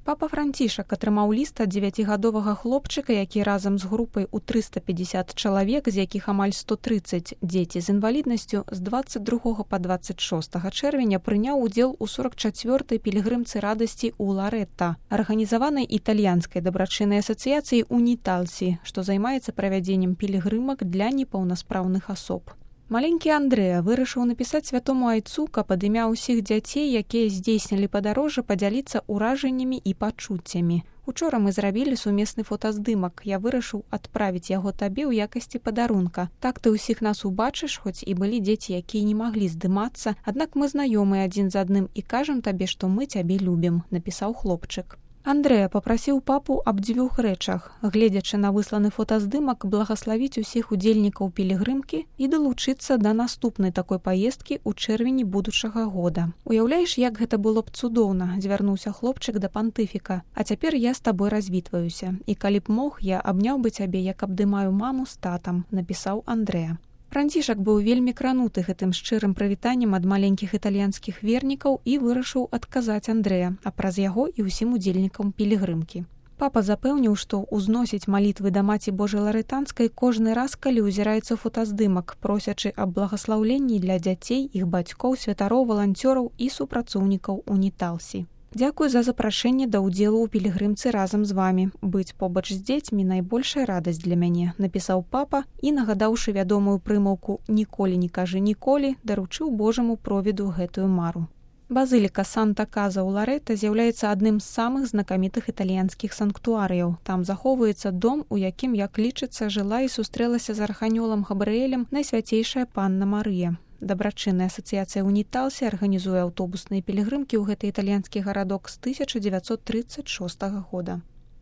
Папа Францішак атрымаў ліст ад 9гадовага хлопчыка, які разам з групай у 350 чалавек, з якіх амаль 130 дзеці з інваліднасцю, з 22 па 26 чэрвеня прыняў удзел у 44-й пілігрымцы радасці ў Ларэта, арганізаванай італьянскай дабрачыннай асацыяцыяй «Уніталсі», што займаецца правядзеннем пілігрымак для непаўнаспраўных асоб. Маленькі Андрэа вырашыў напісаць святому айцу, каб ад імя ўсіх дзяцей, якія здзейснілі падарожжа, падзяліцца ўражаннямі і пачуццямі. Учора мы зрабілі сумесны фотаздымак. Я вырашыў адправіць яго табе ў якасці падарунка. Так ты ўсіх нас убачыш, хоць і былі дзеці, якія не маглі здымацца, аднак мы знаёмыя адзін з адным і кажам табе, што мы цябе любім, напісаў хлопчык. Андрэа папрасіў папу аб 2 рэчах, гледзячы на высланы фотаздымак, благаславіць усіх удзельнікаў пілігрымкі і далучыцца да наступнай такой паездкі ў чэрвені будучага года. Уяўляеш, як гэта было б цудоўна, звярнуўся хлопчык да пантыфіка. А цяпер я з табой развітваюся. І калі б мог, я абняў бы цябе, як абдымаю маму з татам, напісаў Андрэа. Францішак быў вельмі крануты гэтым шчырым прывітаннем ад маленькіх італьянскіх вернікаў і вырашыў адказаць Андрэа, а праз яго і ўсім удзельнікам пілігрымкі. Папа запэўніў, што ўзносіць малітвы да Маці Божай Ларэтанскай кожны раз, калі ўзіраецца фотаздымак, просячы аб благаслаўленні для дзяцей, іх бацькоў, святароў, валанцёраў і супрацоўнікаў «Уніталсі». Дзякуй за запрашэнне да ўдзелу ў пілігрымцы разам з вамі. Быць побач з дзецьмі найбольшая радасць для мяне, напісаў папа і, нагадаўшы вядомую прымаўку «Ніколі не кажы ніколі», даручыў Божаму провіду гэтую мару. Базыліка Санта-Каза ў Ларэта з'яўляецца адным з самых знакамітых італьянскіх санктуарыяў. Там захоўваецца дом, у якім, як лічыцца, жыла і сустрэлася з арханёлам Габрыэлем найсвяцейшая панна Марыя. Дабрачынная асацыяцыя «Уніталсі» арганізуе аўтобусныя пілігрымкі ў гэты італьянскі гарадок з 1936 года.